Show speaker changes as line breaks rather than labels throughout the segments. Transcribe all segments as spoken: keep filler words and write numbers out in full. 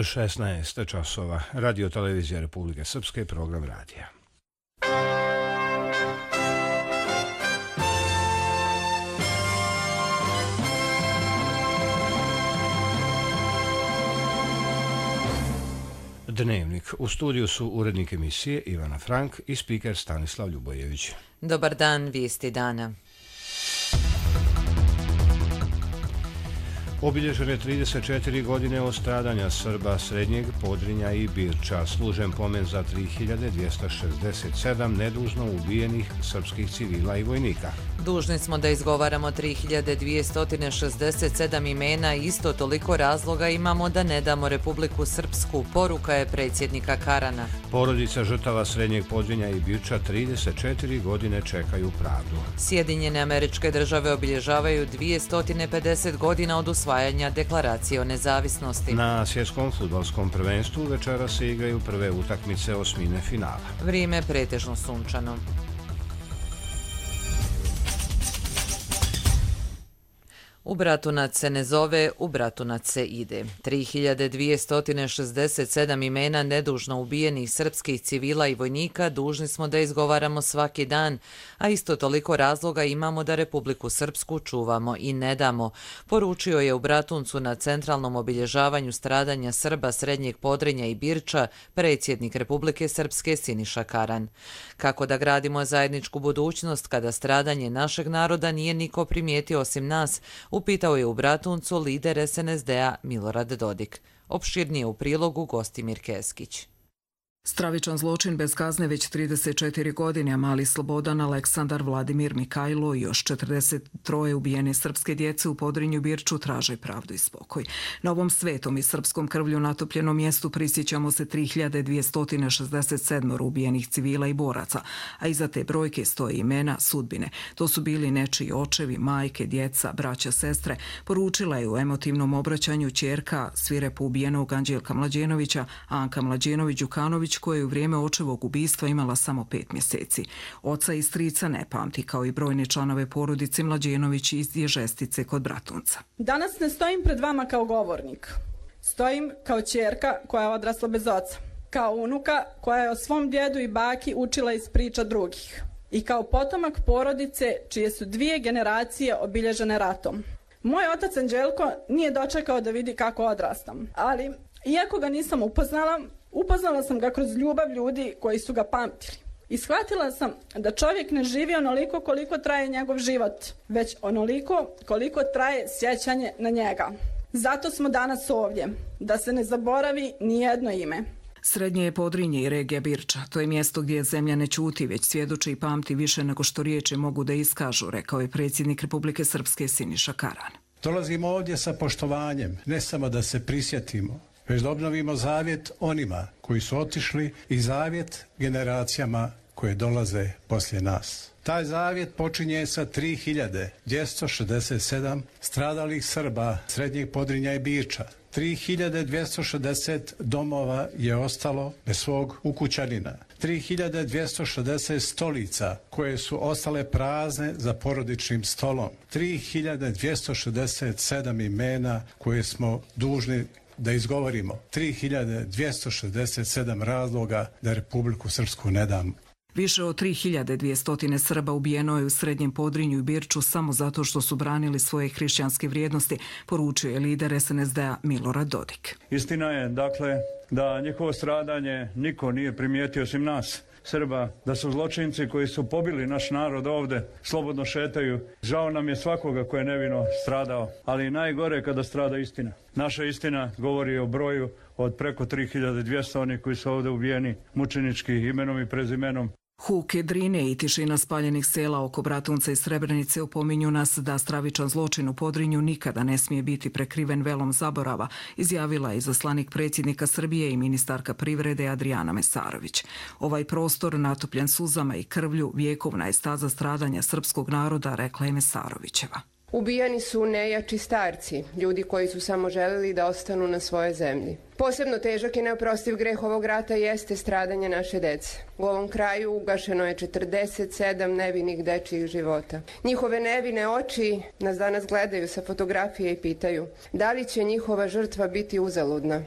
šesnaest časova. Radio televizija Republike Srpske, program radija. Dnevnik. U studiju su urednik emisije Ivana Frank i spiker Stanislav Ljubojević.
Dobar dan, vijesti dana.
Obilježene trideset četiri godine od stradanja Srba Srednjeg Podrinja i Birča. Služen pomen za tri hiljade dvjesto šezdeset sedam nedužno ubijenih srpskih civila i vojnika.
Dužni smo da izgovaramo tri hiljade dvjesto šezdeset sedam imena i isto toliko razloga imamo da ne damo Republiku Srpsku, poruka je predsjednika Karana.
Porodica žrtava Srednjeg Podrinja i Birča trideset četiri godine čekaju pravdu.
Sjedinjene Američke Države obilježavaju dvjesto pedeset godina od usvajanja Deklaracije o nezavisnosti.
Na svjetskom fudbalskom prvenstvu večera se igraju prve utakmice osmine finala.
Vrijeme pretežno sunčano. U Bratunac se ne zove, u Bratunac se ide. tri hiljade dvjesto šezdeset sedam imena nedužno ubijenih srpskih civila i vojnika dužni smo da izgovaramo svaki dan, a isto toliko razloga imamo da Republiku Srpsku čuvamo i ne damo, poručio je u Bratuncu na centralnom obilježavanju stradanja Srba Srednjeg Podrinja i Birča predsjednik Republike Srpske Siniša Karan. Kako da gradimo zajedničku budućnost kada stradanje našeg naroda nije niko primijetio osim nas, upitao je u Bratuncu lider es en es de-a Milorad Dodik. Opširnije u prilogu Gostimir Keskić.
Stravičan zločin bez kazne već trideset četiri godine, a mali Slobodan, Aleksandar, Vladimir, Mikajlo i još četrdeset tri ubijene srpske djece u Podrinju Birču traže pravdu i spokoj. Na ovom svetom i srpskom krvlju natopljenom mjestu prisjećamo se tri hiljade dvjesto šezdeset sedam ubijenih civila i boraca, a iza te brojke stoje imena, sudbine. To su bili nečiji očevi, majke, djeca, braća, sestre, poručila je u emotivnom obraćanju ćerka svirepo ubijenog Anđelka Mlađenovića, Anka Mlađenović-Đukanović, koja je u vrijeme očevog ubistva imala samo pet mjeseci. Oca i strica ne pamti, kao i brojne članove porodice Mlađenović iz Ježestice kod Bratunca.
Danas ne stojim pred vama kao govornik. Stojim kao ćerka koja je odrasla bez oca. Kao unuka koja je o svom djedu i baki učila iz priča drugih. I kao potomak porodice čije su dvije generacije obilježene ratom. Moj otac Anđelko nije dočekao da vidi kako odrastam, ali iako ga nisam upoznala, upoznala sam ga kroz ljubav ljudi koji su ga pamtili. I shvatila sam da čovjek ne živi onoliko koliko traje njegov život, već onoliko koliko traje sjećanje na njega. Zato smo danas ovdje, da se ne zaboravi ni jedno ime.
Srednje je Podrinje i regija Birča. To je mjesto gdje zemlja ne ćuti, već svjedoči i pamti više nego što riječi mogu da iskažu, rekao je predsjednik Republike Srpske Siniša Karan.
Dolazimo ovdje sa poštovanjem, ne samo da se prisjetimo, već da obnovimo zavjet onima koji su otišli i zavjet generacijama koje dolaze poslije nas. Taj zavjet počinje sa tri hiljade dvjesto šezdeset sedam stradalih Srba Srednjeg Podrinja i Birča. tri hiljade dvjesto šezdeset domova je ostalo bez svog ukućanina. tri hiljade dvjesto šezdeset stolica koje su ostale prazne za porodičnim stolom. tri hiljade dvjesto šezdeset sedam imena koje smo dužni da izgovorimo. tri hiljade dvjesto šezdeset sedam razloga da Republiku Srpsku ne dam.
Više od tri hiljade dvjesto Srba ubijeno je u Srednjem Podrinju i Birču samo zato što su branili svoje hrišćanske vrijednosti, poručio je lider es en es de-a Milorad Dodik.
Istina je, dakle, da njihovo stradanje niko nije primijetio osim nas, Srba, da su zločinci koji su pobili naš narod ovde, slobodno šetaju. Žao nam je svakoga ko je nevino stradao, ali najgore kada strada istina. Naša istina govori o broju od preko tri hiljade dvjesto onih koji su ovde ubijeni mučenički imenom i prezimenom.
Huke, drine i tišina spaljenih sela oko Bratunca i Srebrenice opominju nas da stravičan zločin u Podrinju nikada ne smije biti prekriven velom zaborava, izjavila je izaslanik predsjednika Srbije i ministarka privrede Adrijana Mesarović. Ovaj prostor natopljen suzama i krvlju vjekovna je staza stradanja srpskog naroda, rekla je Mesarovićeva.
Ubijani su nejači starci, ljudi koji su samo želeli da ostanu na svojoj zemlji. Posebno težak i neoprostiv greh ovog rata jeste stradanje naše dece. U ovom kraju ugašeno je četrdeset sedam nevinih dečjih života. Njihove nevine oči nas danas gledaju sa fotografije i pitaju da li će njihova žrtva biti uzaludna.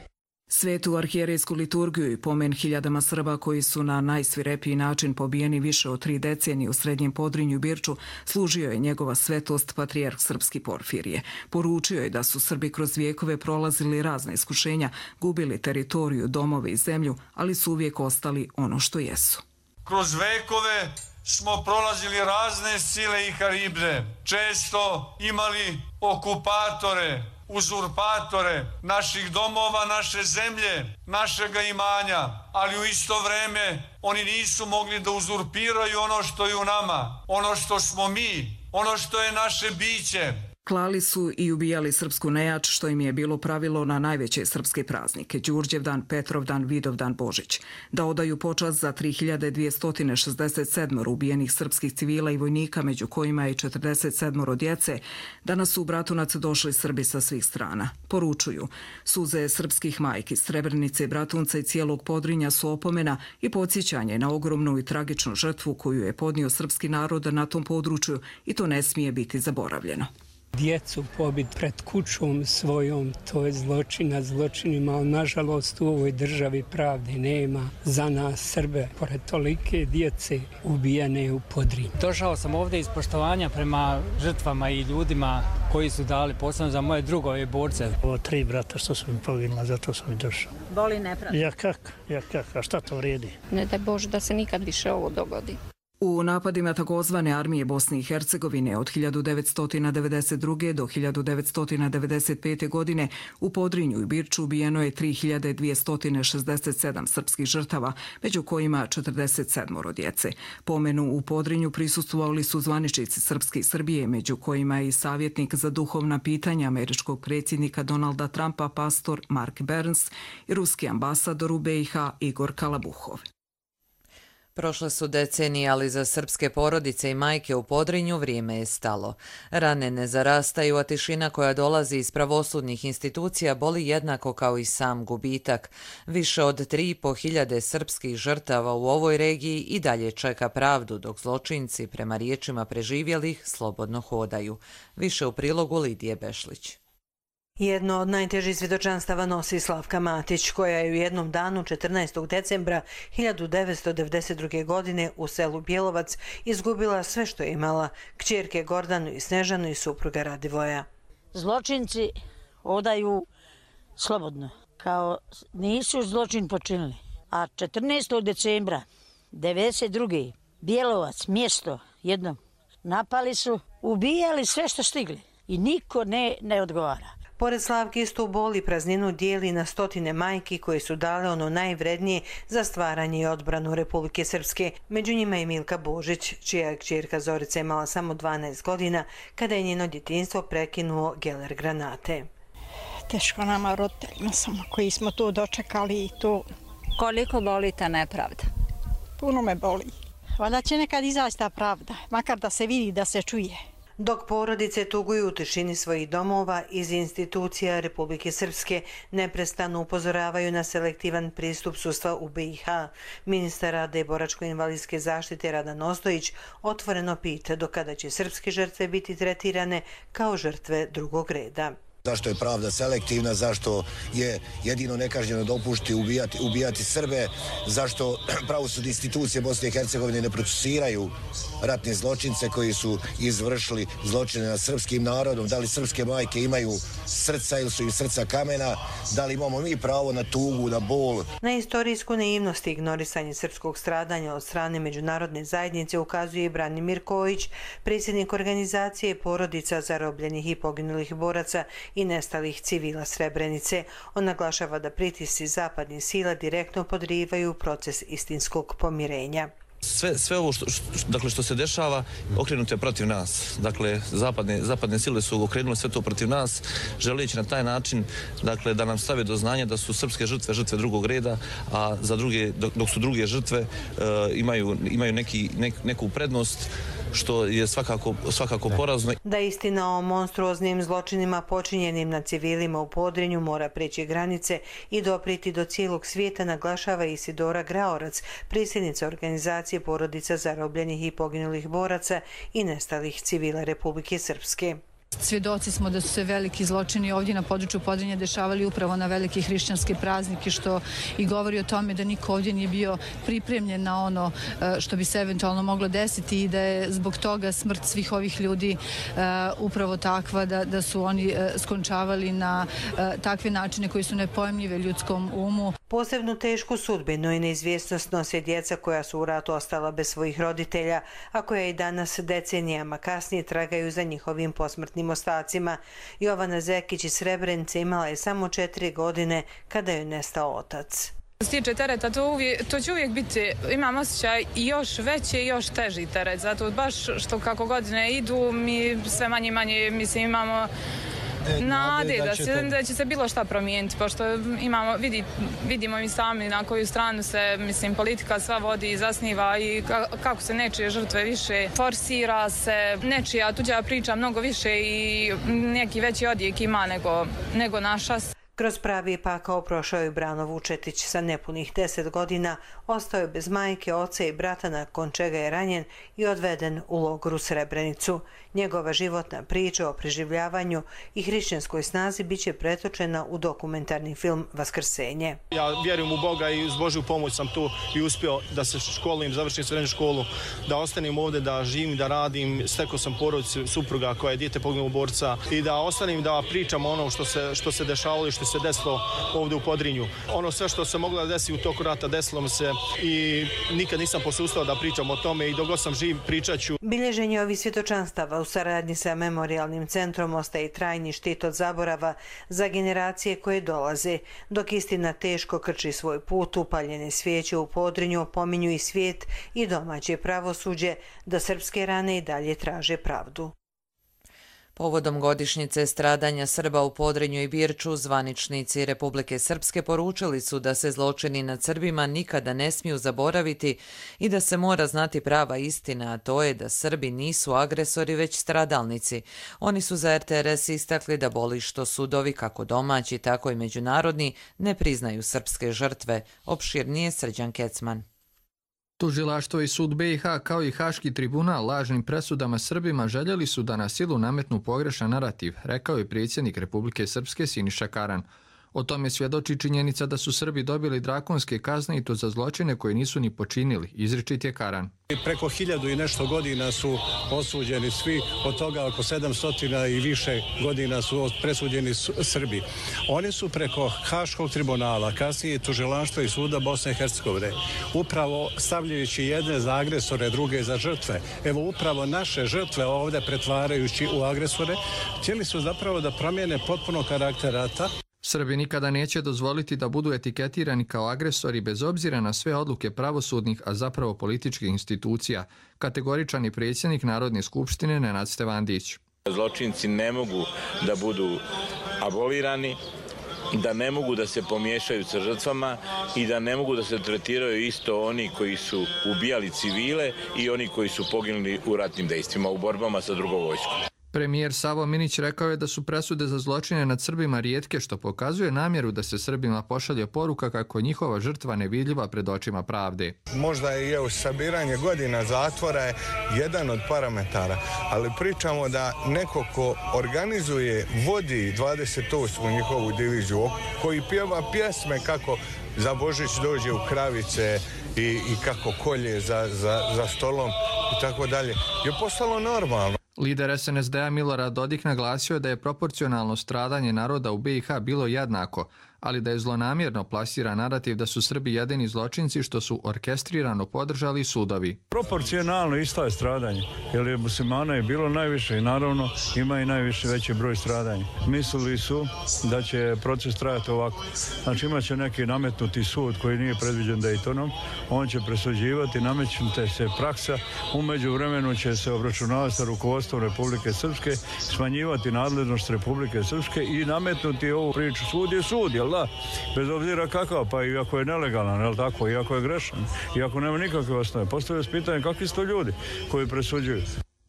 Svetu arhijerejsku liturgiju i pomen hiljadama Srba koji su na najsvirepiji način pobijeni više od tri decenije u Srednjem Podrinju i Birču služio je njegova svetost patrijarh srpski Porfirije. Poručio je da su Srbi kroz vijekove prolazili razne iskušenja, gubili teritoriju, domove i zemlju, ali su uvijek ostali ono što jesu.
Kroz vekove smo prolazili razne sile i haribde, često imali okupatore, uzurpatore naših domova, naše zemlje, našega imanja, ali u isto vreme oni nisu mogli da uzurpiraju ono što je u nama, ono što smo mi, ono što je naše biće.
Klali su i ubijali srpsku nejač, što im je bilo pravilo na najveće srpske praznike, Đurđevdan, Petrovdan, Vidovdan, Božić. Da odaju počast za tri hiljade dvjesto šezdeset sedam ubijenih srpskih civila i vojnika, među kojima je četrdeset sedam djece, danas su u Bratunac došli Srbi sa svih strana. Poručuju, suze srpskih majki, Srebrenice, Bratunca i cijelog Podrinja su opomena i podsjećanje na ogromnu i tragičnu žrtvu koju je podnio srpski narod na tom području i to ne smije biti zaboravljeno.
Djecu pobit pred kućom svojom, to je zločin nad zločinima, ali nažalost u ovoj državi pravde nema za nas Srbe, pored tolike djece ubijene u Podrinju.
Došao sam ovdje iz poštovanja prema žrtvama i ljudima koji su dali, posebno za moje drugove borce.
Ovo tri brata što su mi poginula, zato sam i došao.
Boli nepravda?
Ja kak, ja kak, a šta to vrijedi?
Ne daj Bože da se nikad više ovo dogodi.
U napadima takozvane armije Bosne i Hercegovine od hiljadu devetsto devedeset druge do hiljadu devetsto devedeset pete. godine u Podrinju i Birču ubijeno je tri hiljade dvjesto šezdeset sedam srpskih žrtava, među kojima četrdeset sedam djece. Pomenu u Podrinju prisustvovali su zvaničnici Srpske i Srbije, među kojima je i savjetnik za duhovna pitanja američkog predsjednika Donalda Trumpa, pastor Mark Burns, i ruski ambasador u B i H Igor Kalabuhov.
Prošle su decenije, ali za srpske porodice i majke u Podrinju vrijeme je stalo. Rane ne zarastaju, a tišina koja dolazi iz pravosudnih institucija boli jednako kao i sam gubitak. Više od tri i po hiljade srpskih žrtava u ovoj regiji i dalje čeka pravdu, dok zločinci, prema riječima preživjelih, slobodno hodaju. Više u prilogu Lidije Bešlić.
Jedno od najtežih svjedočanstava nosi Slavka Matić, koja je u jednom danu četrnaestog decembra hiljadu devetsto devedeset druge. godine u selu Bjelovac izgubila sve što je imala, kćerke Gordanu i Snežanu i supruga Radivoja.
Zločinci odaju slobodno, kao nisu zločin počinili. A četrnaestog decembra devedeset druge. Bjelovac, mjesto jedno, napali su, ubijali sve što stigli i niko ne, ne odgovara.
Pored Slavke istu bol i prazninu dijeli na stotine majki koje su dale ono najvrednije za stvaranje i odbranu Republike Srpske. Među njima je Milka Božić, čija je kćerka Zorica imala samo dvanaest godina kada je njeno djetinjstvo prekinuo geler granate.
Teško nama roditeljima samo koji smo tu dočekali i to.
Koliko boli ta nepravda?
Puno me boli. Valjda će nekad izaći ta pravda, makar da se vidi, da se čuje.
Dok porodice tuguju u tišini svojih domova, iz institucija Republike Srpske neprestano upozoravaju na selektivan pristup sudstva u B i H. Ministar rada i boračko-invalidske zaštite Radan Ostojić otvoreno pita do kada će srpske žrtve biti tretirane kao žrtve drugog reda.
Zašto je pravda selektivna, zašto je jedino nekažnjeno dopušti ubijati, ubijati Srbe, zašto pravosudne institucije Bosne i Hercegovine ne procesuiraju ratne zločince koji su izvršili zločine nad srpskim narodom, da li srpske majke imaju srca ili su im srca kamena, da li imamo mi pravo na tugu, na bol.
Na istorijsku naivnost i ignorisanje srpskog stradanja od strane međunarodne zajednice ukazuje i Branimir Kojić, predsjednik organizacije porodica zarobljenih i poginulih boraca i nestalih civila Srebrenice. On naglašava da pritisci zapadnih sila direktno podrivaju proces istinskog pomirenja.
Sve, sve ovo što, što, dakle, što se dešava okrenuto je protiv nas. Dakle, zapadne, zapadne sile su okrenule sve to protiv nas, želeći na taj način dakle, da nam stave do znanja da su srpske žrtve žrtve drugog reda, a za druge, dok, dok su druge žrtve uh, imaju, imaju neki, nek, neku prednost, što je svakako, svakako porazno.
Da istina o monstruoznim zločinima počinjenim na civilima u Podrinju mora preći granice i dopriti do cijelog svijeta, naglašava Isidora Graorac, predsjednica organizacije porodica zarobljenih i poginulih boraca i nestalih civila Republike Srpske.
svjedoci smo da su se veliki zločini ovdje na području Podrinja dešavali upravo na velike hrišćanske praznike, što i govori o tome da niko ovdje nije bio pripremljen na ono što bi se eventualno moglo desiti i da je zbog toga smrt svih ovih ljudi upravo takva da, da su oni skončavali na takve načine koji su nepojmljive ljudskom umu.
Posebno tešku sudbinu i neizvjesnost nose djeca koja su u ratu ostala bez svojih roditelja, a koja i danas decenijama kasnije tragaju za njihovim posmrtnim ostacima. Jovana Zekić iz Srebrenice imala je samo četiri godine kada joj nestao otac.
Što se tiče tereta, to, uvijek, to će uvijek biti, imam osjećaj, još veći i još teži teret. Zato baš što kako godine idu, mi sve manje i manje, mislim, imamo nade da, da, će, da će se bilo šta promijeniti, pošto imamo, vidi, vidimo mi sami na koju stranu se, mislim, politika sva vodi i zasniva i kako se nečije žrtve više forsira se, nečija tuđa priča mnogo više i neki veći odjek ima nego, nego naša.
Kroz pravi pakao prošao je Brano Vučetić. Sa nepunih deset godina ostao je bez majke, oca i brata, nakon čega je ranjen i odveden u logor u Srebrenicu. Njegova životna priča o preživljavanju i hrišćanskoj snazi biće pretočena u dokumentarni film Vaskrsenje.
Ja vjerujem u Boga i uz Božju pomoć sam tu i uspio da se školujem, završim srednju školu, da ostanem ovdje, da živim, da radim. Stekao sam porodicu supruga koja je dijete poginulog borca i da ostanem da pričam ono što se, što se dešavalo i što se desilo ovdje u Podrinju. Ono sve što se moglo desiti u toku rata desilo mi se i nikad nisam posustao da pričam o tome i dok god sam živ pričat ću.
Bilježenje ovih svjedočanstava u saradnji sa Memorijalnim centrom ostaje trajni štit od zaborava za generacije koje dolaze. Dok istina teško krči svoj put, upaljene svijeće u Podrinju opominju i svijet i domaće pravosuđe da srpske rane i dalje traže pravdu.
Povodom godišnjice stradanja Srba u Podrinju i Birču, zvaničnici Republike Srpske poručili su da se zločini nad Srbima nikada ne smiju zaboraviti i da se mora znati prava istina, a to je da Srbi nisu agresori već stradalnici. Oni su za R T R S istakli da boli što sudovi, kako domaći, tako i međunarodni, ne priznaju srpske žrtve. Opširnije Srđan Kecman.
Tužilaštvo i sud B i H kao i Haški tribunal lažnim presudama Srbima željeli su da na silu nametnu pogrešan narativ, rekao je predsjednik Republike Srpske Siniša Karan. O tome svjedoči činjenica da su Srbi dobili drakonske kazne i to za zločine koje nisu ni počinili, izričit je Karan.
Preko hiljadu i nešto godina su osuđeni svi, od toga oko sedamstotina i više godina su presuđeni Srbi. Oni su preko Haškog tribunala, kasnije tužilaštva i suda Bosne i Hercegovine, upravo stavljajući jedne za agresore, druge za žrtve. Evo upravo naše žrtve ovdje pretvarajući u agresore, htjeli su zapravo da promijene potpuno karakter rata.
Srbi nikada neće dozvoliti da budu etiketirani kao agresori bez obzira na sve odluke pravosudnih, a zapravo političkih institucija, kategoričan je predsjednik Narodne skupštine Nenad Stevandić.
Zločinci ne mogu da budu abolirani, da ne mogu da se pomiješaju sa žrtvama i da ne mogu da se tretiraju isto oni koji su ubijali civile i oni koji su poginuli u ratnim dejstvima, u borbama sa drugom vojskom.
Premijer Savo Minić rekao je da su presude za zločine nad Srbima rijetke, što pokazuje namjeru da se Srbima pošalje poruka kako je njihova žrtva nevidljiva pred očima pravde.
Možda i evo sabiranje godina zatvora je jedan od parametara, ali pričamo da neko ko organizuje, vodi dvadeset osmu njihovu diviziju, koji pjeva pjesme kako za Božić dođe u kravice i, i kako kolje za, za, za stolom i tako dalje, je postalo normalno.
Lider S N S D-a Milorad Dodik naglasio je da je proporcionalno stradanje naroda u B i H bilo jednako, ali da je zlonamjerno plasiran narativ da su Srbi jedini zločinci što su orkestrirano podržali sudovi.
Proporcionalno isto je stradanje, jer je muslimana je bilo najviše i naravno ima i najviše veći broj stradanja. Mislili su da će proces trajati ovako. Znači imat će neki nametnuti sud koji nije predviđen Daytonom, on će presuđivati, namećute se praksa, umeđu vremenu će se obračunavati sa rukovodstvom Republike Srpske, smanjivati nadležnost Republike Srpske i nametnuti ovu priču. Sud je sud, jel da? Bez obzira kakav, pa i ako je nelegalan, jel tako, i ako je grešan, i ako nema nikakve osnove. Postavlja se pitanje kakvi su to ljudi koji presuđuju.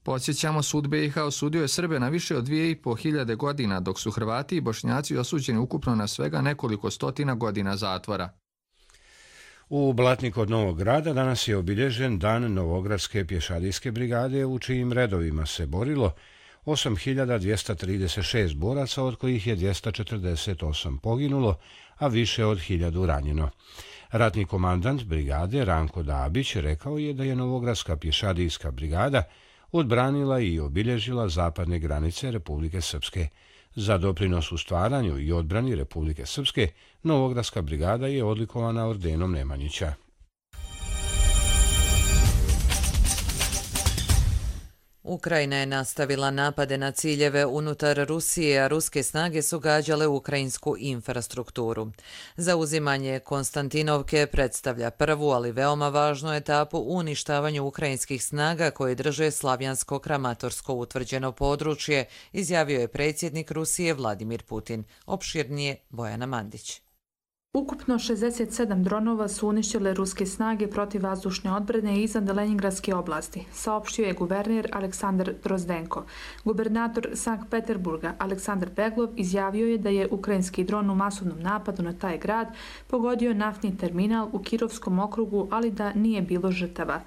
Podsjećamo, sud B i H osudio je Srbe na više od dvije i po hiljade godina, dok su Hrvati i Bošnjaci osuđeni ukupno na svega nekoliko stotina godina zatvora.
U Blatnik kod Novog Grada danas je obilježen Dan Novogradske pješadijske brigade, u čijim redovima se borilo osam hiljada dvjesto trideset šest boraca, od kojih je dvjesto četrdeset osam poginulo, a više od hiljadu ranjeno. Ratni komandant brigade Ranko Dabić rekao je da je Novogradska pješadijska brigada odbranila i obilježila zapadne granice Republike Srpske. Za doprinos u stvaranju i odbrani Republike Srpske, Novogradska brigada je odlikovana ordenom Nemanjića.
Ukrajina je nastavila napade na ciljeve unutar Rusije, a ruske snage su gađale ukrajinsku infrastrukturu. Zauzimanje Konstantinovke predstavlja prvu, ali veoma važnu etapu u uništavanju ukrajinskih snaga koje drže Slavjansko-Kramatorsko utvrđeno područje, izjavio je predsjednik Rusije Vladimir Putin. Opširnije Bojana Mandić.
Ukupno šezdeset sedam dronova su uništile ruske snage protivvazdušne odbrane iznad Leningradske oblasti, saopštio je guverner Aleksandar Drozdenko. Gubernator Sankt Peterburga Aleksandar Beglov izjavio je da je ukrajinski dron u masovnom napadu na taj grad pogodio naftni terminal u Kirovskom okrugu, ali da nije bilo žrtava.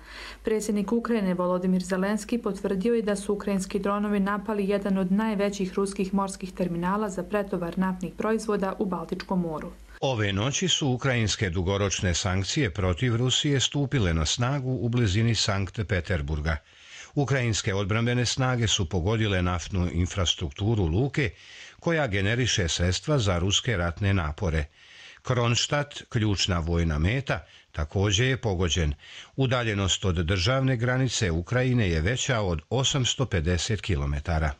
Predsjednik Ukrajine Volodimir Zelenski potvrdio je da su ukrajinski dronovi napali jedan od najvećih ruskih morskih terminala za pretovar naftnih proizvoda u Baltičkom moru.
Ove noći su ukrajinske dugoročne sankcije protiv Rusije stupile na snagu u blizini Sankt Peterburga. Ukrajinske odbrambene snage su pogodile naftnu infrastrukturu luke koja generiše sredstva za ruske ratne napore. Kronštat, ključna vojna meta, također je pogođen. Udaljenost od državne granice Ukrajine je veća od osamsto pedeset kilometara.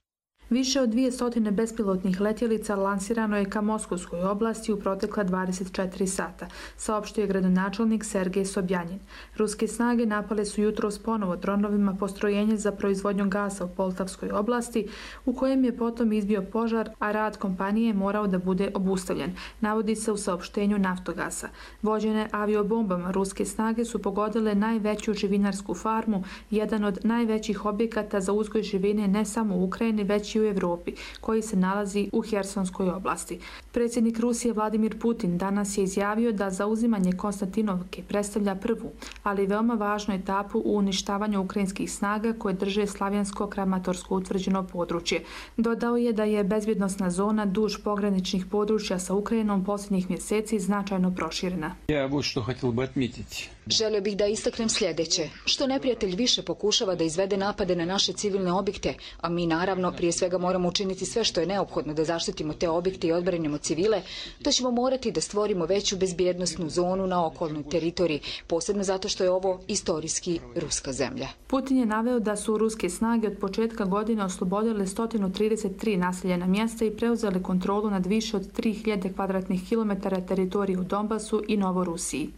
Više od dvije stotine bespilotnih letjelica lansirano je ka Moskovskoj oblasti u protekla dvadeset četiri sata, saopštio je gradonačelnik Sergej Sobjanin. Ruske snage napale su jutros ponovo dronovima postrojenje za proizvodnju gasa u Poltavskoj oblasti, u kojem je potom izbio požar, a rad kompanije morao da bude obustavljen, navodi se u saopštenju Naftogasa. Vođene aviobombama ruske snage su pogodile najveću živinarsku farmu, jedan od najvećih objekata za uzgoj živine ne samo u Ukrajini, već i u Evropi, koji se nalazi u Hersonskoj oblasti. Predsjednik Rusije Vladimir Putin danas je izjavio da zauzimanje Konstantinovke predstavlja prvu, ali veoma važnu etapu u uništavanju ukrajinskih snaga koje drže Slavjansko-Kramatorsko utvrđeno područje. Dodao je da je bezbjednosna zona duž pograničnih područja sa Ukrajinom posljednjih mjeseci značajno proširena.
Ja вот što хотел бы отметить.
Želio bih da istaknem sljedeće. Što neprijatelj više pokušava da izvede napade na naše civilne objekte, a mi naravno prije svega moramo učiniti sve što je neophodno da zaštitimo te objekte i odbranimo civile, to ćemo morati da stvorimo veću bezbjednosnu zonu na okolnoj teritoriji, posebno zato što je ovo istorijski ruska zemlja.
Putin je naveo da su ruske snage od početka godine oslobodile sto trideset tri naseljena mjesta i preuzele kontrolu nad više od tri hiljade kvadratnih kilometara teritorije u Donbasu i Novorusiji.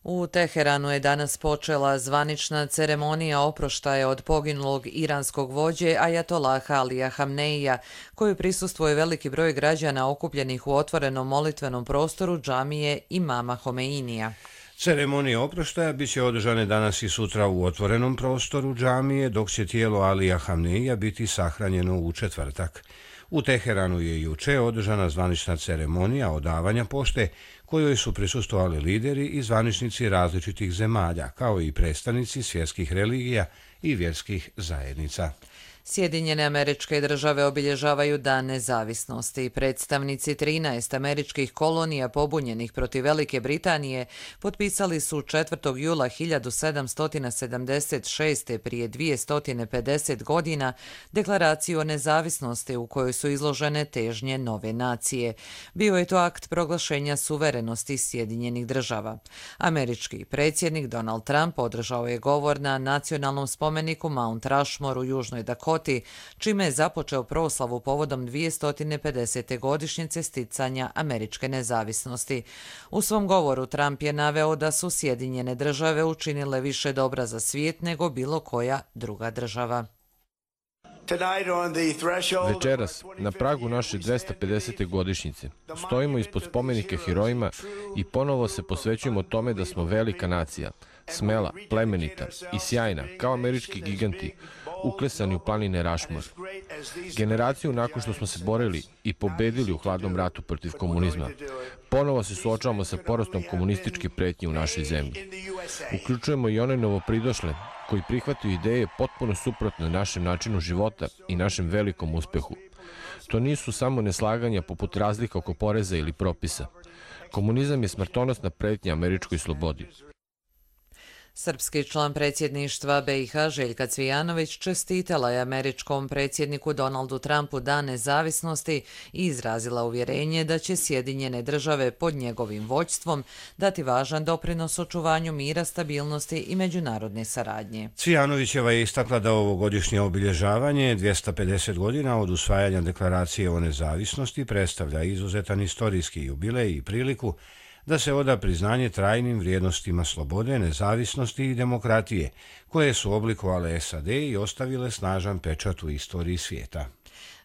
U Teheranu je danas počela zvanična ceremonija oproštaja od poginulog iranskog vođe Ajatolaha Alija Hamneija, koju prisustvuje veliki broj građana okupljenih u otvorenom molitvenom prostoru džamije Imama Homeinija.
Ceremonije oproštaja bit će održane danas i sutra u otvorenom prostoru džamije, dok će tijelo Alija Hamneija biti sahranjeno u četvrtak. U Teheranu je juče održana zvanična ceremonija odavanja pošte, kojoj su prisustvovali lideri i zvaničnici različitih zemalja, kao i predstavnici svjetskih religija i vjerskih zajednica.
Sjedinjene Američke Države obilježavaju Dan nezavisnosti. Predstavnici trinaest američkih kolonija pobunjenih protiv Velike Britanije potpisali su četvrtog jula hiljadu sedamsto sedamdeset šeste. prije dvjesto pedeset godina deklaraciju o nezavisnosti u kojoj su izložene težnje nove nacije. Bio je to akt proglašenja suverenosti Sjedinjenih Država. Američki predsjednik Donald Trump održao je govor na nacionalnom spomeniku Mount Rushmore u Južnoj Dakoti, čime je započeo proslavu povodom dvjesto pedesete godišnjice sticanja američke nezavisnosti. U svom govoru Trump je naveo da su Sjedinjene Države učinile više dobra za svijet nego bilo koja druga država.
Večeras, na pragu naše dvjesto pedesete godišnjice, stojimo ispod spomenika herojima i ponovo se posvećujemo tome da smo velika nacija, smela, plemenita i sjajna, kao američki giganti, uklesani u planine Rushmore. Generaciju nakon što smo se borili i pobedili u hladnom ratu protiv komunizma, ponovo se suočavamo sa porastom komunističke pretnje u našoj zemlji. Uključujemo i one novopridošle koji prihvataju ideje potpuno suprotne našem načinu života i našem velikom uspehu. To nisu samo neslaganja poput razlika oko poreza ili propisa. Komunizam je smrtonosna pretnja američkoj slobodi.
Srpski član predsjedništva B i H Željka Cvijanović čestitala je američkom predsjedniku Donaldu Trumpu Dan nezavisnosti i izrazila uvjerenje da će Sjedinjene države pod njegovim vođstvom dati važan doprinos očuvanju mira, stabilnosti i međunarodne saradnje.
Cvijanovićeva je istakla da ovogodišnje obilježavanje dvjesto pedeset godina od usvajanja deklaracije o nezavisnosti predstavlja izuzetan istorijski jubilej i priliku da se oda priznanje trajnim vrijednostima slobode, nezavisnosti i demokratije, koje su oblikovale S A D i ostavile snažan pečat u istoriji svijeta.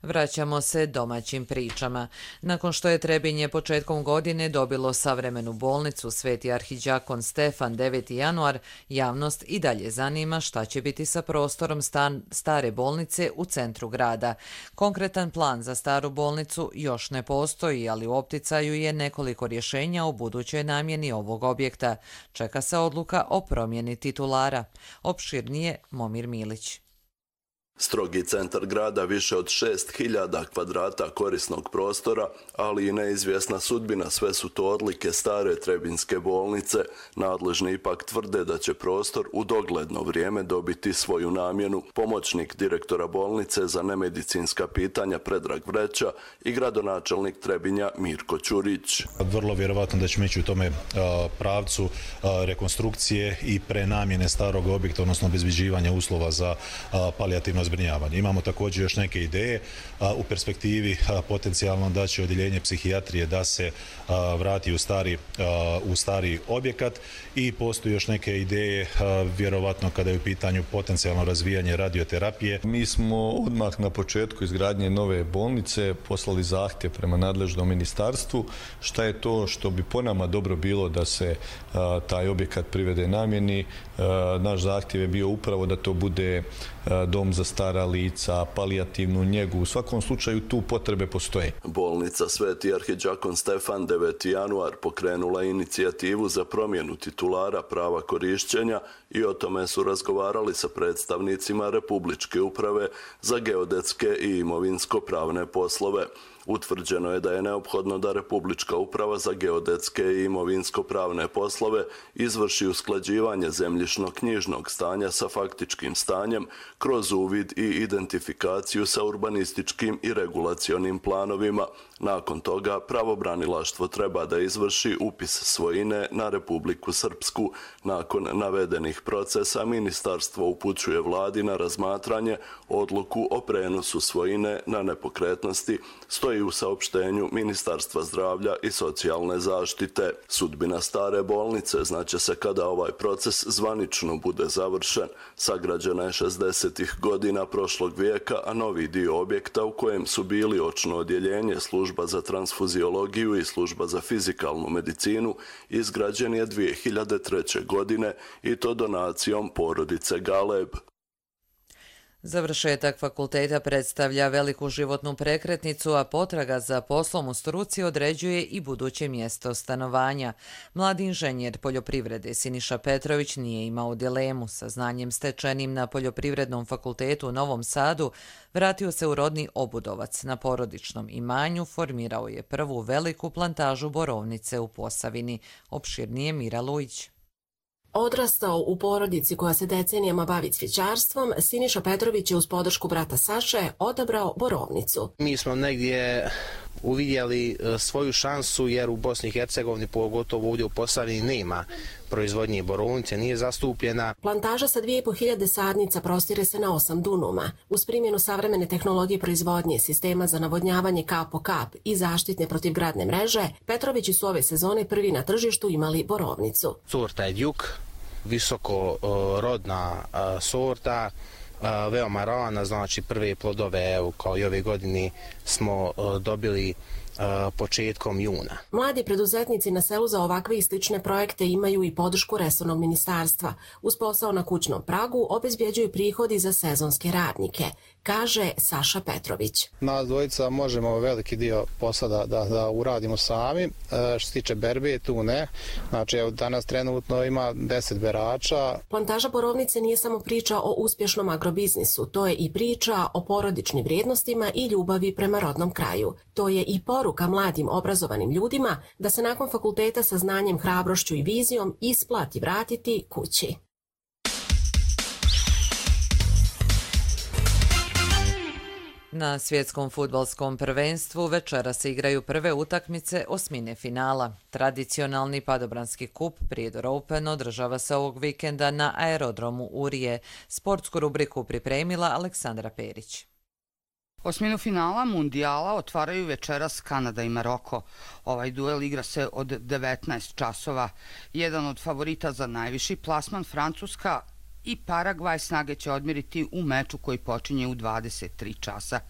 Vraćamo se domaćim pričama. Nakon što je Trebinje početkom godine dobilo savremenu bolnicu Sveti arhidžakon Stefan deveti januar, javnost i dalje zanima šta će biti sa prostorom stan, stare bolnice u centru grada. Konkretan plan za staru bolnicu još ne postoji, ali u opticaju je nekoliko rješenja o budućoj namjeni ovog objekta. Čeka se odluka o promjeni titulara. Opširnije Momir Milić.
Strogi centar grada, više od šest hiljada kvadrata korisnog prostora, ali i neizvjesna sudbina, sve su to odlike stare Trebinjske bolnice. Nadležni ipak tvrde da će prostor u dogledno vrijeme dobiti svoju namjenu. Pomoćnik direktora bolnice za nemedicinska pitanja Predrag Vreća i gradonačelnik Trebinja Mirko Ćurić.
Vrlo vjerovatno da ćemo ići u tome pravcu rekonstrukcije i prenamjene starog objekta, odnosno obezbeđivanja uslova za palijativno zbrinjavanje. Imamo također još neke ideje u perspektivi potencijalno da će odjeljenje psihijatrije da se vrati u stari, u stari objekat i postoji još neke ideje vjerovatno kada je u pitanju potencijalno razvijanje radioterapije.
Mi smo odmah na početku izgradnje nove bolnice poslali zahtjev prema nadležnom ministarstvu šta je to što bi po nama dobro bilo da se taj objekat privede namjeni. Naš zahtjev je bio upravo da to bude dom za stara lica, palijativnu njegu. U svakom slučaju tu potrebe postoje.
Bolnica Sveti arhidžakon Stefan deveti januar pokrenula inicijativu za promjenu titulara prava korišćenja i o tome su razgovarali sa predstavnicima Republičke uprave za geodetske i imovinsko-pravne poslove. Utvrđeno je da je neophodno da Republička uprava za geodetske i imovinsko-pravne poslove izvrši usklađivanje zemljišno-knjižnog stanja sa faktičkim stanjem kroz uvid i identifikaciju sa urbanističkim i regulacionim planovima. Nakon toga pravobranilaštvo treba da izvrši upis svojine na Republiku Srpsku. Nakon navedenih procesa ministarstvo upućuje vladi na razmatranje odluku o prenosu svojine na nepokretnosti, stoji u saopštenju Ministarstva zdravlja i socijalne zaštite. Sudbina stare bolnice znaće se kada ovaj proces zvanično bude završen. Sagrađena je šezdesetih godina prošlog vijeka, a novi dio objekta u kojem su bili očno odjeljenje, služba za transfuziologiju i služba za fizikalnu medicinu izgrađen je dvije hiljade treće. godine i to donacijom porodice Galeb.
Završetak fakulteta predstavlja veliku životnu prekretnicu, a potraga za poslom u struci određuje i buduće mjesto stanovanja. Mladi inženjer poljoprivrede Siniša Petrović nije imao dilemu. Sa znanjem stečenim na Poljoprivrednom fakultetu u Novom Sadu vratio se u rodni Obudovac. Na porodičnom imanju formirao je prvu veliku plantažu borovnice u Posavini. Opširnije Mira Lujić.
Odrastao u porodici koja se decenijama bavi cvjećarstvom, Siniša Petrović je uz podršku brata Saše odabrao borovnicu.
Mi smo negdje uvidjeli svoju šansu jer u Bosni i Hercegovini, pogotovo ovdje u Posavini, nema proizvodnje borovnice, nije zastupljena.
Plantaža sa dvije i po hiljade sadnica prostire se na osam dunuma. Uz primjenu savremene tehnologije proizvodnje, sistema za navodnjavanje kap po kap i zaštitne protivgradne mreže, Petrovići su ove sezone prvi na tržištu imali borovnicu.
Sorta je Djuk, visoko rodna sorta, veoma rana, znači prve plodove, evo, kao i ove godine smo dobili početkom juna.
Mladi preduzetnici na selu za ovakve i slične projekte imaju i podršku resornog ministarstva. Uz posao na kućnom pragu obezbjeđuju prihodi za sezonske radnike, kaže Saša Petrović.
Nas dvojica možemo veliki dio posla da, da, da uradimo sami. E, što se tiče berbe, tu ne. Znači, evo, danas trenutno ima deset berača.
Plantaža borovnice nije samo priča o uspješnom agrobiznisu, to je i priča o porodičnim vrijednostima i ljubavi prema rodnom kraju. To je i poruka mladim obrazovanim ljudima da se nakon fakulteta sa znanjem, hrabrošću i vizijom isplati vratiti kući.
Na svjetskom fudbalskom prvenstvu večera se igraju prve utakmice osmine finala. Tradicionalni padobranski kup Prijedor Open održava se ovog vikenda na aerodromu Urije. Sportsku rubriku pripremila Aleksandra Perić.
Osminu finala mundijala otvaraju večeras Kanada i Maroko. Ovaj duel igra se od devetnaest časova. Jedan od favorita za najviši plasman, Francuska i Paragvaj, snage će odmiriti u meču koji počinje u dvadeset tri časa.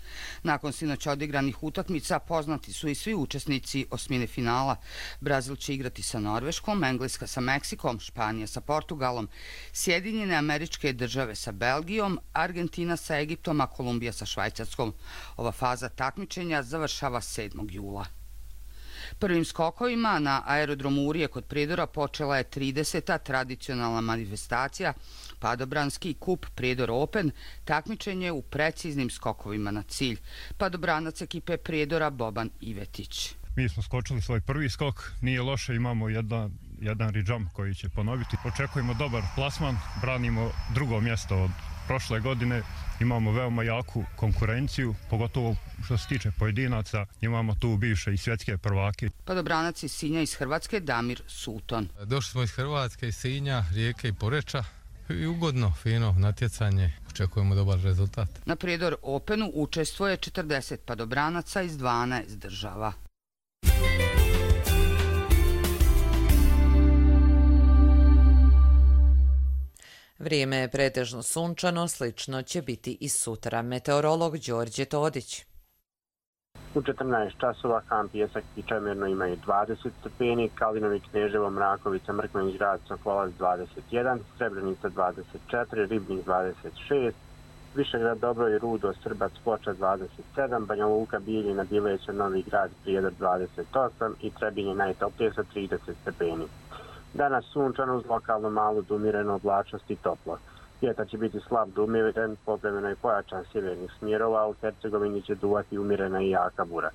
Nakon sinoć odigranih utakmica poznati su i svi učesnici osmine finala. Brazil će igrati sa Norveškom, Engleska sa Meksikom, Španija sa Portugalom, Sjedinjene Američke Države sa Belgijom, Argentina sa Egiptom, a Kolumbija sa Švajcarskom. Ova faza takmičenja završava sedmog jula. Prvim skokovima na aerodromu Urije kod Prijedora počela je trideseta tradicionalna manifestacija Padobranski kup Prijedor Open, takmičenje u preciznim skokovima na cilj. Padobranac ekipe Prijedora Boban Ivetić.
Mi smo skočili svoj prvi skok, nije loše, imamo jedan, jedan re-jump koji će ponoviti. Očekujemo dobar plasman, branimo drugo mjesto od prošle godine, imamo veoma jaku konkurenciju, pogotovo što se tiče pojedinaca, imamo tu bivše i svjetske prvake.
Padobranac iz Sinja iz Hrvatske Damir Suton.
Došli smo iz Hrvatske, iz Sinja, Rijeke i Poreča i ugodno, fino natjecanje, očekujemo dobar rezultat.
Na Prijedor Openu učestvuje četrdeset padobranaca iz dvanaest država.
Vrijeme je pretežno sunčano, slično će biti i sutra. Meteorolog Đorđe Todić.
U četrnaest časova Kamp Pijesak i Čemirno imaju dvadeset stepeni, Kalinovi, Kneževo, Mrakovica, Mrkmenić, Grad, Sokolac dvadeset jedan, Srebrenica dvadeset četiri, Ribnik dvadeset šest, Višegrad, Dobro i Rudo, Srbac, Ploča dvadeset sedam, Banja Luka, Bijeljina, Bileća, Novi Grad, Prijedor dvadeset osam i Trebinje najtoplije sa trideset stepeni. Danas sunčano uz lokalno malu do umirenu oblačnost i toplo. Vjetar će biti slab do umiren, povremeno i pojačan sjevernih smjerova, a u Hercegovini će duvati umirena i jaka bura.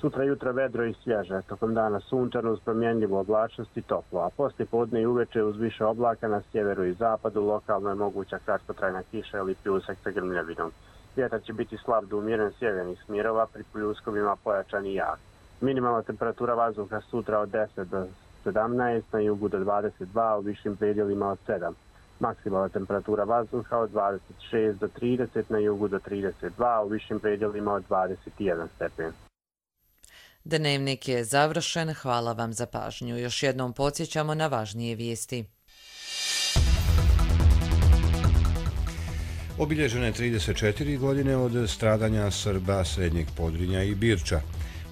Sutra jutra vedro i svježe, tokom dana sunčano uz promjenljivu oblačnost i toplo, a poslije podne i uveče uz više oblaka na sjeveru i zapadu lokalno je moguća kratkotrajna kiša ili pljusak sa grmljavinom. Vjetar će biti slab do umiren sjevernih smjerova, pri pljuskovima pojačan i jak. Minimalna temperatura vazduha sutra od deset do sedamnaest, na jugu do dvadeset dva, u višim predjelima od sedam. Maksimalna temperatura vazduha od dvadeset šest do trideset, na jugu do trideset dva, u višim predjelima od dvadeset jedan stepen.
Dnevnik je završen, hvala vam za pažnju. Još jednom podsjećamo na važnije vijesti.
Obilježene trideset četiri godine od stradanja Srba Srednjeg Podrinja i Birča.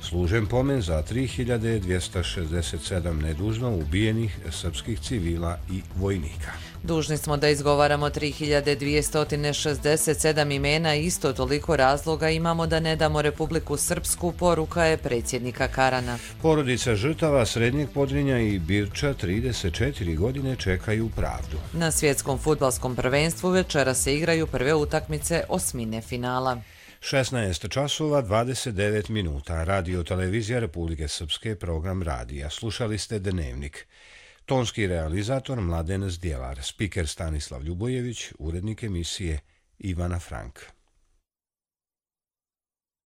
Služen pomen za tri hiljade dvjesto šezdeset sedam nedužno ubijenih srpskih civila i vojnika.
Dužni smo da izgovaramo tri hiljade dvjesto šezdeset sedam imena i isto toliko razloga imamo da ne damo Republiku Srpsku, poruka je predsjednika Karana.
Porodica žrtava Srednjeg Podrinja i Birča trideset četiri godine čekaju pravdu.
Na svjetskom fudbalskom prvenstvu večera se igraju prve utakmice osmine finala.
šesnaest časova dvadeset devet minuta. Radio Televizija Republike Srpske, program radija. Slušali ste Dnevnik. Tonski realizator Mladen Zdjelar, spiker Stanislav Ljubojević, urednik emisije Ivana Frank.